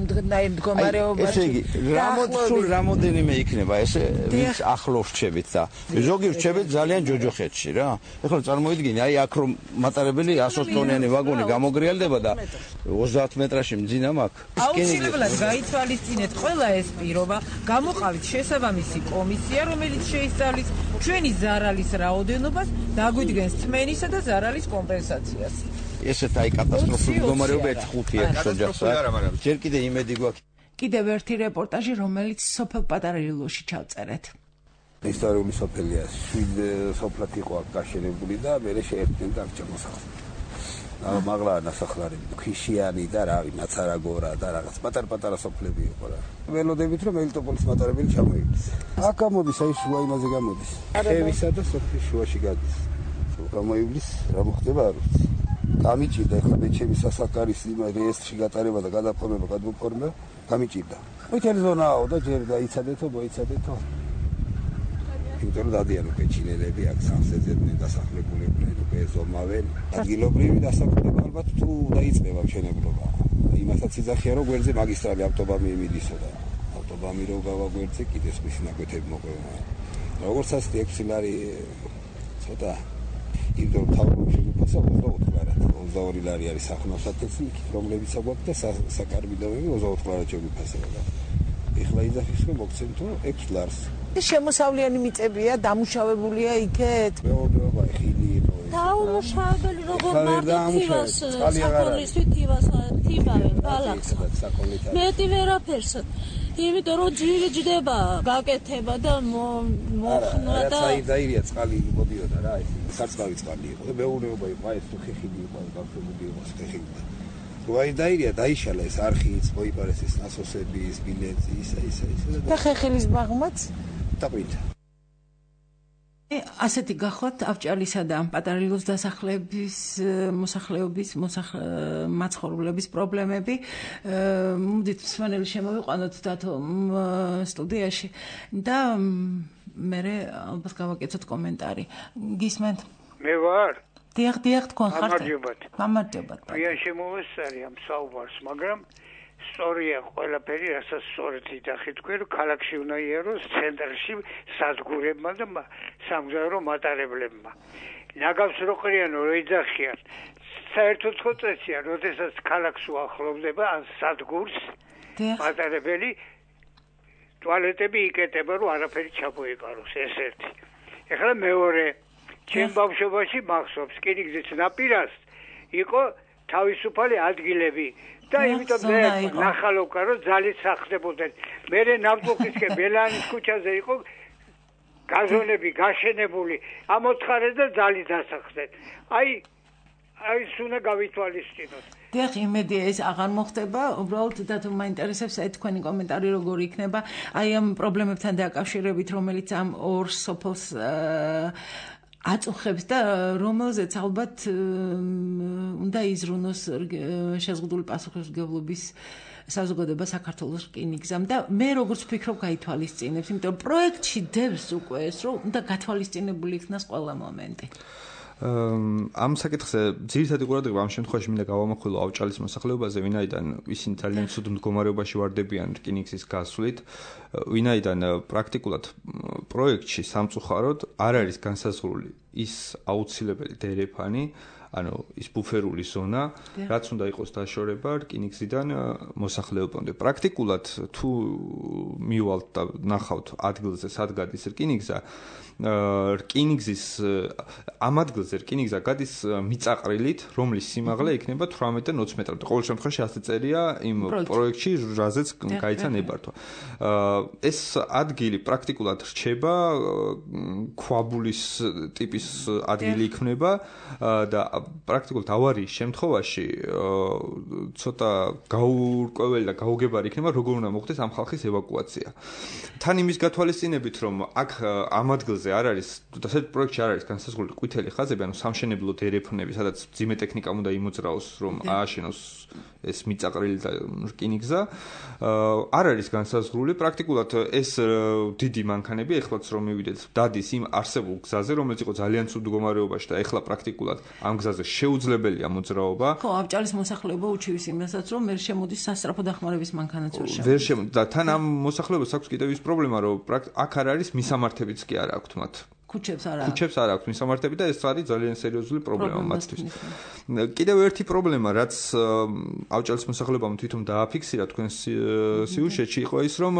მდგომარეობაში? ესე იგი, რამოდენიმე რამოდენიმე იქნება ესე, ვინც ახლოს რჩებით და ზოგი რჩებით ძალიან ჯოჯოხეთში რა. ეხლა წარმოიდგინე, აი აქ რომ მატარებელი ასოც ტონიანი ვაგონი გამოგრიალდება და ოცდაათ მეტრაში მძინა მაქვს. აუცილებლად გაითვალისწინეთ ყველა ეს პირობა, გამოყავით შესაბამისი კომისია, რომელიც შეისწავლის ჩვენი ზარალის რაოდენობას, დაგვიდგენს თმენისა და ზარალის კომპენსაციას. ესეთ აი კატასტროფული მდგომარეობა ერთ ხუთი ერთ ოჯახსა. ჯერ კიდე იმედი გვაქვს. კიდევ ერთი რეპორტაჟი, რომელიც სოფელ პატარა ლილოში ჩავწერეთ. ისტორიული სოფელია, შვიდ სოფლად იყო აქ გაშენებული და მერე შეერთდნენ დაგჭამოსახლ. მაღლა ნასახლარი ქვიშიანი და რავი ნაცარაგორა და რაღაც პატარ-პატარა სოფლები იყო რა. ველოდებით რომ მელიტოპოლის მატარებელი ჩამოივლის. აქ გამოდის აი შუა იმაზე გამოდის. ხევისა და სოფლის შუაში გადის. გამოივლის რა მოხდება არ ვიცი. გამიჭირდა ხა მე ჩემი სასაკარის იმა რეესტრში გატარება და გადაფორმება გადმოფორმა გამიჭირდა. ვითელი ზონაო და ჯერ დაიცადეთო მოიცადეთო. იმიტომ დადიან უკვე ჩინელები აქ სამსეძებდნენ დასახლებულებდნენ უკვე ზომავენ ადგილობრივი დასახლება ალბათ თუ დაიწყება მშენებლობა იმასაც იძახია რომ გვერდზე მაგისტრალი ავტობანი მიდისო და ავტობანი რო გავა გვერდზე კიდე სხვისი ნაკვეთები მოყვება როგორც ასეთი ექვსი ლარი ცოტა იმიტომ რომ თავრობი შეგვიფასა ოცდაოთხ ლარად. ოცდაორი ლარი არის სახნავსათესი, რომლებიც აგვაქვს და საკარბიდოები ოცდაოთხ ლარად შეგვიფასება. ეხლა იძახის რომ მოგცემთო ექვს ლარს. შემოსავლიანი მიწებია, დამუშავებულია იქეთ. მეურნეობა ხილი იყო. დაუმუშავებელი როგორ მარტივას საკონლისთვის თივას თივავენ ბალახს. მეტი ვერაფერს. იმიტომ რომ ძილი ჯდება, გაკეთება და მოხნა და აი დაირია წყალი მოდიოდა რა, ეს სარწყავი წყალი იყო და მეურნეობა იყო, აი ეს თუ ხეხილი იყო, გაფრთხილებული იყო ხეხილი. თუ აი დაირია, დაიშალა ეს არხიც, მოიპარეს ეს ნასოსები, ეს ბილეთი, ისა ისა ისა და ხეხილის ბაღმაც დაყვინდა. ასეთი გახლავთ ავჭალისა და პატარილოს დასახლების მოსახლეობის მაცხოვრებლების პრობლემები. მოდით მსმენელი შემოვიყვანოთ დათო სტუდიაში და მე ალბათ გავაკეთოთ კომენტარი. გისმენთ? მე ვარ. დიახ, დიახ, თქვენ ხართ. გამარჯობათ. გამარჯობათ. ვია შემოვესწარი ამ საუბარს, მაგრამ სწორია ყველაფერი, რასაც სწორედ იტახი თქვენ, რომ ქალაქში უნდა იაროს ცენტრში სადგურებმა და სამგზავრო მატარებლებმა. ნაგავს რო ყრიან, რო იძახიან. საერთოდ ხო წესია, როდესაც ქალაქს უახლოვდება ან სადგურს მატარებელი ტუალეტები იკეთება, რომ არაფერი ჩამოეკაროს, ეს ერთი. ეხლა მეორე, ჩემ ბავშვობაში მახსოვს, რკინიგზის ნაპირას იყო თავისუფალი ადგილები. და იმიტომ მე ნახალოვკა რომ ძალით სახდებოდნენ. მე ნავთობის ბელანის ქუჩაზე იყო გაზონები გაშენებული. ამოთხარეს და ძალით დასახდნენ. აი აი სუნა გავითვალისწინოთ. დიახ, იმედია ეს აღარ მოხდება. უბრალოდ და თუ მაინტერესებს აი თქვენი კომენტარი როგორ იქნება აი ამ პრობლემებთან დაკავშირებით, რომელიც ამ ორ სოფელს აწუხებს და რომელზეც ალბათ უნდა იზრუნოს შეზღუდული პასუხისმგებლობის საზოგადოება საქართველოს რკინიგზამ და მე როგორც ვფიქრობ გაითვალისწინებს, იმიტომ რომ პროექტში დევს უკვე ეს რომ უნდა გათვალისწინებული იქნას ყველა მომენტი. ამ საკითხზე ძირითადი ყურადღება ამ შემთხვევაში მინდა გავამახვილო ავჭალის მოსახლეობაზე, ვინაიდან ისინი ძალიან ცუდ მდგომარეობაში ვარდებიან რკინიგზის გასვლით, ვინაიდან პრაქტიკულად პროექტში სამწუხაროდ არ არის განსაზღვრული ის აუცილებელი დერეფანი, ანუ ის ბუფერული ზონა, რაც უნდა იყოს დაშორება რკინიგზიდან მოსახლეობამდე. პრაქტიკულად თუ მივალთ და ნახავთ ადგილზე, სად გადის რკინიგზა, რკინიგზის ამ ადგილზე რკინიგზა გადის მიწაყრილით, რომლის სიმაღლე იქნება თვრამეტ და ოცი მეტრამდე. ყოველ შემთხვევაში ასე წერია იმ პროექტში, რაზეც გაიცა ნებართვა. ეს ადგილი პრაქტიკულად რჩება ქვაბულის ტიპის ადგილი იქნება და პრაქტიკულად ავარიის შემთხვევაში ცოტა გაურკვეველი და გაუგებარი იქნება, როგორ უნდა მოხდეს ამ ხალხის ევაკუაცია. თან იმის გათვალისწინებით, რომ აქ ამ ადგილზე არ არის, ასეთ პროექტში არ არის განსაზღვრული ყვითელი ხაზები, ანუ სამშენებლო დერეფნები, სადაც ძიმე ტექნიკა უნდა იმოძრაოს, რომ ააშენოს ეს მიწაყრილი და რკინიგზა. არ არის განსაზღვრული, პრაქტიკულად ეს დიდი მანქანები, ეხლაც რომ მივიდეთ, დადის იმ არსებულ გზაზე, რომელიც იყო ძალიან ცუდ მდგომარეობაში და ეხლა პრაქტიკულად ამ გზაზე შეუძლებელია მოძრაობა. ხო, ავჭალის მოსახლეობა უჩივის იმასაც, რომ ვერ შემოდის სასწრაფო დახმარების მანქანაც ვერ შემოდის. ვერ შემოდის და თან ამ მოსახლეობას აქვს კიდევ ის პრობლემა, რომ აქ არ არის მისამართებიც კი არ აქვს მათ. ქუჩებს არ აქვს. ქუჩებს არ აქვს მისამართები და ეს არის ძალიან სერიოზული პრობლემა მათთვის. კიდევ ერთი პრობლემა, რაც ავჭალის მოსახლეობამ თვითონ დააფიქსირა თქვენ სიუჟეტში, იყო ის, რომ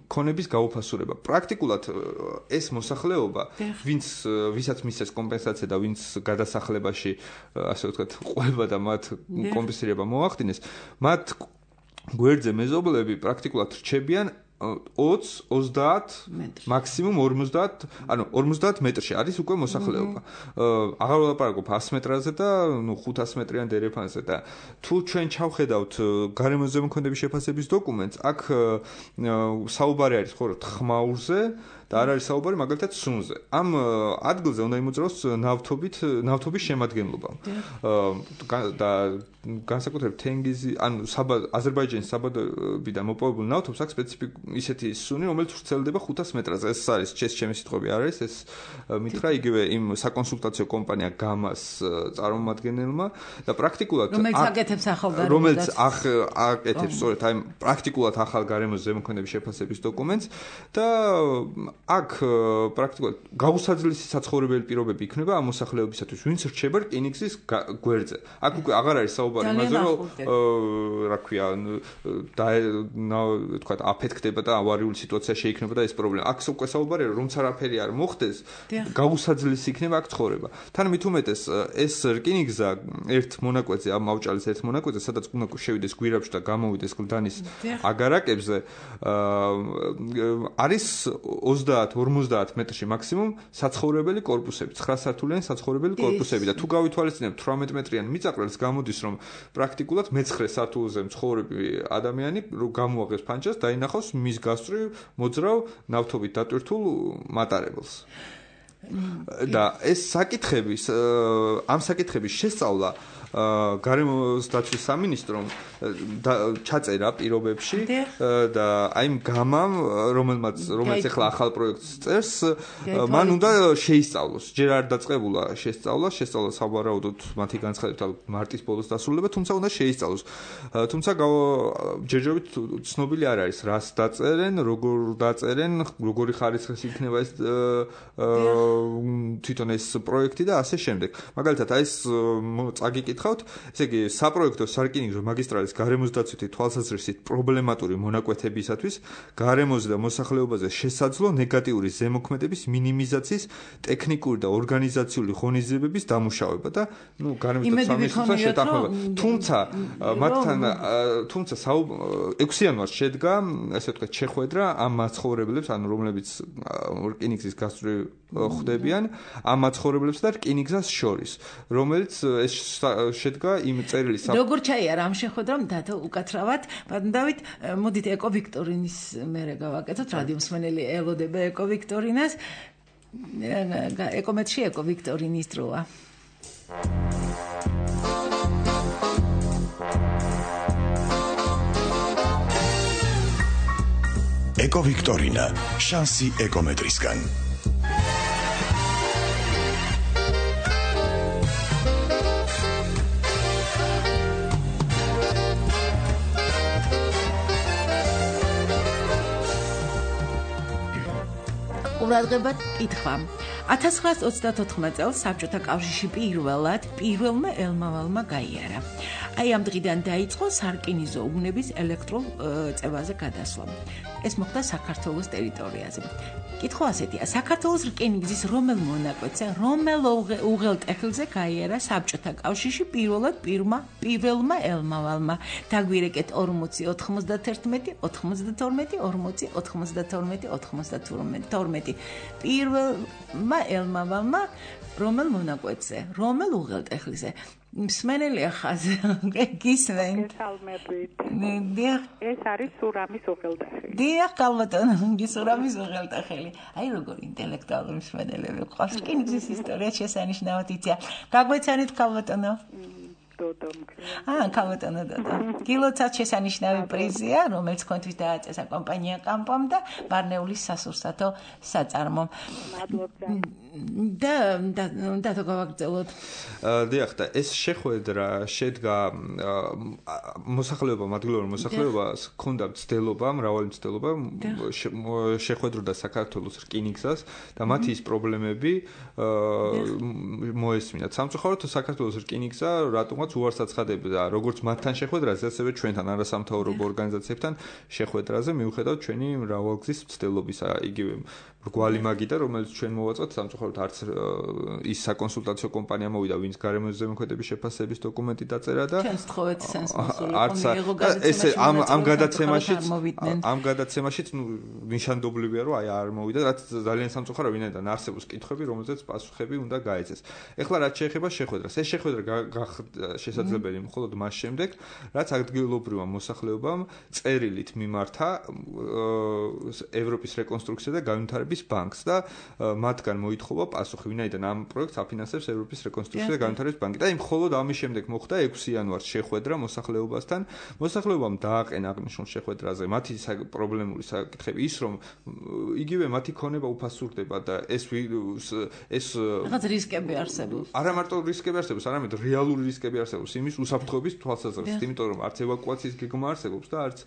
ქონების გაუფასურება. პრაქტიკულად ეს მოსახლეობა, ვინც ვისაც მისცეს კომპენსაცია და ვინც გადასახლებაში, ასე ვთქვათ, ყვება და მათ კომპენსირება მოახდინეს, მათ გვერდზე მეზობლები პრაქტიკულად რჩებიან ოცი, ოცდაათ, მაქსიმუმ ორმოცდაათ, ანუ ორმოცდაათ მეტრში არის უკვე მოსახლეობა. აღარ ვლაპარაკობ ას მეტრაზე და ნუ ხუთას მეტრიან დერეფანზე და თუ ჩვენ ჩავხედავთ გარემო ზემოქმედების შეფასების დოკუმენტს, აქ საუბარი არის ხოლმე ხმაურზე და არ არის საუბარი მაგალითად სუნზე. ამ ადგილზე უნდა იმოძრაოს ნავთობით, ნავთობის შემადგენლობა. და განსაკუთრებით თენგიზი, ანუ აზერბაიჯანის საბადოებიდან მოპოვებული ნავთობს აქ სპეციფიკ ისეთი სუნი, რომელიც ვრცელდება ხუთას მეტრაზე. ეს არის ჩეს ჩემი სიტყვები არ არის, ეს მითხრა იგივე იმ საკონსულტაციო კომპანია გამას წარმომადგენელმა და პრაქტიკულად რომელიც აკეთებს ახალგაზრდებს. რომელიც აკეთებს სწორედ აი პრაქტიკულად ახალ გარემოს ზემოქმედების შეფასების დოკუმენტს და აქ პრაქტიკულად გაუსაძლისი საცხოვრებელი პირობები იქნება ამ მოსახლეობისათვის, ვინც რჩება რკინიგზის გვერდზე. აქ უკვე აღარ არის საუბარი იმაზე, რომ რა ქვია, და თქვა აფეთქდება და ავარიული სიტუაცია შეიქმნება და ეს პრობლემა. აქ უკვე საუბარია, რომ როცა არაფერი არ მოხდეს, გაუსაძლისი იქნება აქ ცხოვრება. თან მით უმეტეს ეს რკინიგზა ერთ მონაკვეთზე, ამ ავჭალის ერთ მონაკვეთზე, სადაც უნდა შევიდეს გვირაბში და გამოვიდეს გლდანის აგარაკებზე, არის ოცდაათ ორმოცდაათ მეტრში მაქსიმუმ საცხოვრებელი კორპუსები, ცხრა სართულიანი საცხოვრებელი კორპუსები და თუ გავითვალისწინებთ თვრამეტ მეტრიან მიწაყრილს, გამოდის რომ პრაქტიკულად მეცხრე სართულზე მცხოვრები ადამიანი გამოაღებს ფანჯას, დაინახავს მის გასწვრივ მოძრავ ნავთობით დატვირთულ მატარებელს. და ეს საკითხების ამ საკითხების შესწავლა გარემოს დაცვის სამინისტრომ ჩაწერა პირობებში და აი იმ გამამ რომელმაც რომელიც ახლა ახალ პროექტს წერს მან უნდა შეისწავლოს ჯერ არ დაწყებულა შესწავლა შესწავლა სავარაუდოდ მათი განცხადებით მარტის ბოლოს დასრულდება თუმცა უნდა შეისწავლოს თუმცა ჯერჯერობით ცნობილი არ არის რას დაწერენ როგორ დაწერენ როგორი ხარისხის იქნება ეს თვითონ ეს პროექტი და ასე შემდეგ მაგალითად აი ეს წაგიკითხავთ ესე იგი საპროექტო სარკინიგზო მაგისტრალის გარემოს დაცვითი თვალსაზრისით პრობლემატური მონაკვეთებისათვის გარემოზე და მოსახლეობაზე შესაძლო ნეგატიური ზემოქმედების მინიმიზაციის ტექნიკური და ორგანიზაციული ღონისძიებების დამუშავება და ნუ გარემოს და სამინისტროსთან შეთანხმება თუმცა მათთან თუმცა ექვსი იანვარს შედგა ასე ვთქვათ შეხვედრა ამ მაცხოვრებლებს ანუ რომლებიც რკინიგზის გასწვრივ ხდებიან ამ მაცხოვრებლებს და რკინიგზას შორის რომელიც ეს შედგა იმ წერილის როგორ ჩაიარა ამ შეხვედრამ დათო უკაცრავად ბატონდავით მოდით ეკო ვიქტორინის მერე გავაკეთოთ რადიო მსმენელი ელოდება ეკო ვიქტორინას ეკომეთში ეკო ვიქტორინის დროა ეკო ვიქტორინა შანსი ეკომეტრისგან ყურადღებად კითხვა ათას ცხრაასი ოცდათოთხმეტ წელს საბჭოთა კავშირში პირველად პირველმა ელმავალმა გაიარა. აი ამ დღიდან დაიწყო სარკინიგზო უბნების ელექტრულ წევაზე გადასვლა. ეს მოხდა საქართველოს ტერიტორიაზე. კითხვა ასეთია: საქართველოს რკინიგზის რომელ მონაკვეთზე, რომელ უღელტეხილზე გაიარა საბჭოთა კავშირში პირველად პირველმა ელმავალმა? დაგვირეკეთ ორმოცი ოთხმოცდათერთმეტი ოთხმოცდათორმეტი ორმოცი ოთხმოცდათორმეტი ოთხმოცდათორმეტი პირველმა ელმავალმა რომელ მონაკვეთზე, რომელ უღელტეხილზე? მსმენელი ხაზი გისმენთ. ეს არის სურამის უღელტეხილი. დიახ, კალბატონო, სურამის უღელტეხილი. აი როგორ ინტელექტუალური მსმენელები ყავს. რკინიგზის ისტორია შესანიშნავად იციან. გაგვეცანით კალბატონო? დოდო. აა, კალბატონო დოდო. კილოცად შესანიშნავი პრიზია, რომელიც კონთვის დააწესა კომპანია კამპომ და ბარნეულის სასურსათო საწარმომ. მადლობთ. და და და გავაგრძელოთ. დიახ, და ეს შეხვედრა შედგა მოსახლეობა, ადგილობრივ მოსახლეობას ჰქონდა მცდელობა, მრავალი მცდელობა შეხვედროდა საქართველოს რკინიგზას და მათი ის პრობლემები მოესმინათ. სამწუხაროდ საქართველოს რკინიგზა რატომაც უარს აცხადებდა როგორც მათთან შეხვედრაზე, ასევე ჩვენთან არასამთავრობო ორგანიზაციებთან შეხვედრაზე, მიუხედავად ჩვენი მრავალგზის მცდელობისა, იგივე რგვალი მაგიდა, რომელიც ჩვენ მოვაწყოთ, სამწუხაროდ არც ის საკონსულტაციო კომპანია მოვიდა, ვინც გარემოს ზემოქმედების შეფასების დოკუმენტი დაწერა და ჩვენს თხოვეთ სენსმოსული არც ესე ამ ამ გადაცემაშიც ამ გადაცემაშიც ნუ ნიშანდობლივია, რომ აი არ მოვიდა, რაც ძალიან სამწუხარო, ვინაიდან არსებობს კითხვები, რომელზეც პასუხები უნდა გაეცეს. ეხლა რაც შეეხება შეხვედრას, ეს შეხვედრა გახდა შესაძლებელი მხოლოდ მას შემდეგ, რაც ადგილობრივმა მოსახლეობამ წერილით მიმართა ევროპის რეკონსტრუქცია და განვითარების განვითარების ბანკს და მათგან მოითხოვა პასუხი, ვინაიდან ამ პროექტს აფინანსებს ევროპის რეკონსტრუქცია და განვითარების ბანკი. და იმ მხოლოდ ამის შემდეგ მოხდა ექვსი იანვარს შეხვედრა მოსახლეობასთან. მოსახლეობამ დააყენა აღნიშნულ შეხვედრაზე მათი პრობლემური საკითხები, ის რომ იგივე მათი ქონება უფასურდება და ეს ეს რაღაც რისკები არსებობს. არა მარტო რისკები არსებობს, არამედ რეალური რისკები არსებობს იმის უსაფრთხოების თვალსაზრისით, იმიტომ რომ არც ევაკუაციის გეგმა არსებობს და არც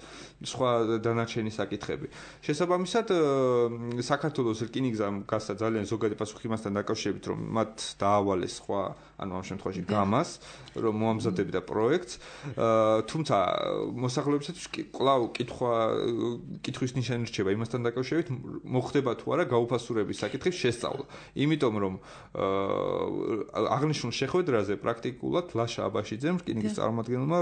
სხვა დანარჩენი საკითხები. შესაბამისად, საქართველოს რკინიგზამ გასცა ძალიან ზოგადი პასუხი იმასთან დაკავშირებით, რომ მათ დაავალეს სხვა, ანუ ამ შემთხვევაში გამას, რომ მოამზადებდა პროექტს, თუმცა მოსახლეობისათვის კვლავ კითხვა კითხვის ნიშანი რჩება იმასთან დაკავშირებით, მოხდება თუ არა გაუფასურების საკითხის შესწავლა. იმიტომ რომ აღნიშნულ შეხვედრაზე პრაქტიკულად ლაშა აბაშიძემ რკინიგზის წარმომადგენელმა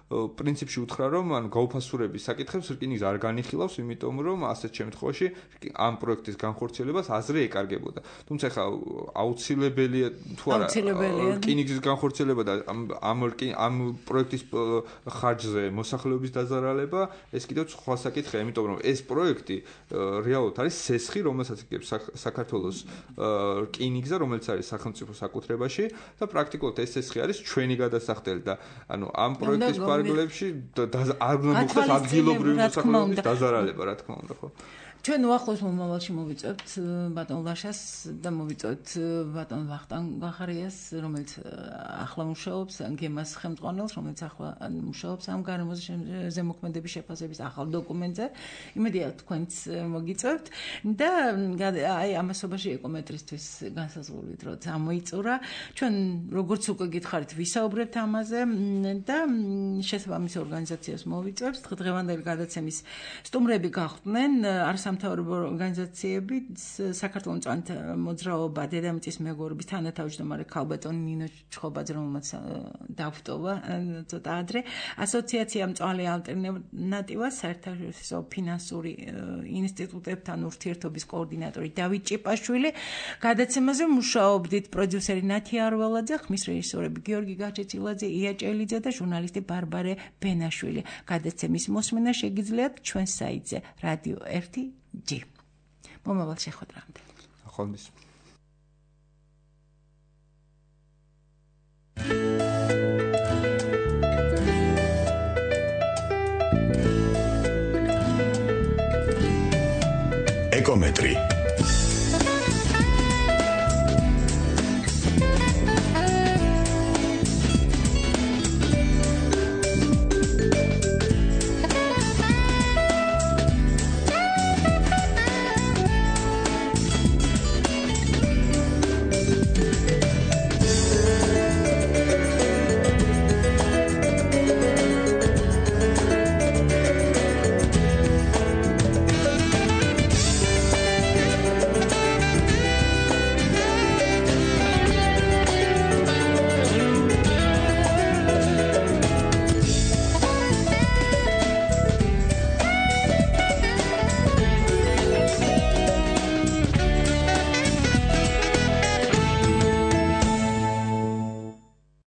პრინციპში უთხრა, რომ ანუ გაუფასურების საკითხებს რკინიგზა არ განიხილავს, იმიტომ რომ ასეთ შემთხვევაში ამ პროექტის განხორციელებას აზრი ეკარგებოდა. თუმცა ხა აუცილებელია თუ არა რკინიგზის განხორციელება და ამ ამ პროექტის ხარჯზე მოსახლეობის დაზარალება, ეს კიდევ სხვა საკითხია, იმიტომ რომ ეს პროექტი რეალურად არის სესხი, რომელსაც იგებს საქართველოს რკინიგზა, რომელიც არის სახელმწიფო საკუთრებაში და პრაქტიკულად ეს სესხი არის ჩვენი გადასახდელი და ანუ ამ პროექტის ფარგლებში არ უნდა მოხდეს ადგილობრივი მოსახლეობის დაზარალება, რა თქმა უნდა, ხო? ჩვენ უახლოეს მომავალში მოვიწევთ ბატონ ლაშას და მოვიწევთ ბატონ ვახტანგ გახარიას, რომელიც ახლა მუშაობს გემას ხელმძღვანელს, რომელიც ახლა მუშაობს ამ გარემოზე ზემოქმედების შეფასების ახალ დოკუმენტზე. იმედია თქვენც მოგიწევთ და აი ამასობაში ეკომეტრისთვის განსაზღვრულით რომ ამოიწურა. ჩვენ როგორც უკვე გითხარით, ვისაუბრებთ ამაზე და შესაბამის ორგანიზაციას მოვიწევთ. დღევანდელი გადაცემის სტუმრები გახდნენ არასამთავრობო ორგანიზაციები, საქართველოს მწვანე მოძრაობა, დედამიწის მეგობრობის თანათავმჯდომარე ქალბატონი ნინო ჩხობაძე, რომელმაც დაგვტოვა ცოტა ადრე, ასოციაცია მწვანე ალტერნატივა, საერთაშორისო ფინანსური ინსტიტუტებთან ურთიერთობის კოორდინატორი დავით ჭიპაშვილი. გადაცემაზე მუშაობდით პროდიუსერი ნათია არველაძე, ხმის რეჟისორები გიორგი გაჩეცილაძე, ია ჭელიძე და ჟურნალისტი ბარბარე ბენაშვილი. გადაცემის მოსმენა შეგიძლიათ ჩვენ საიტზე რადიო ერთი ჯი. მომავალ შეხვედრამდე. ახალმის. ეკომეტრი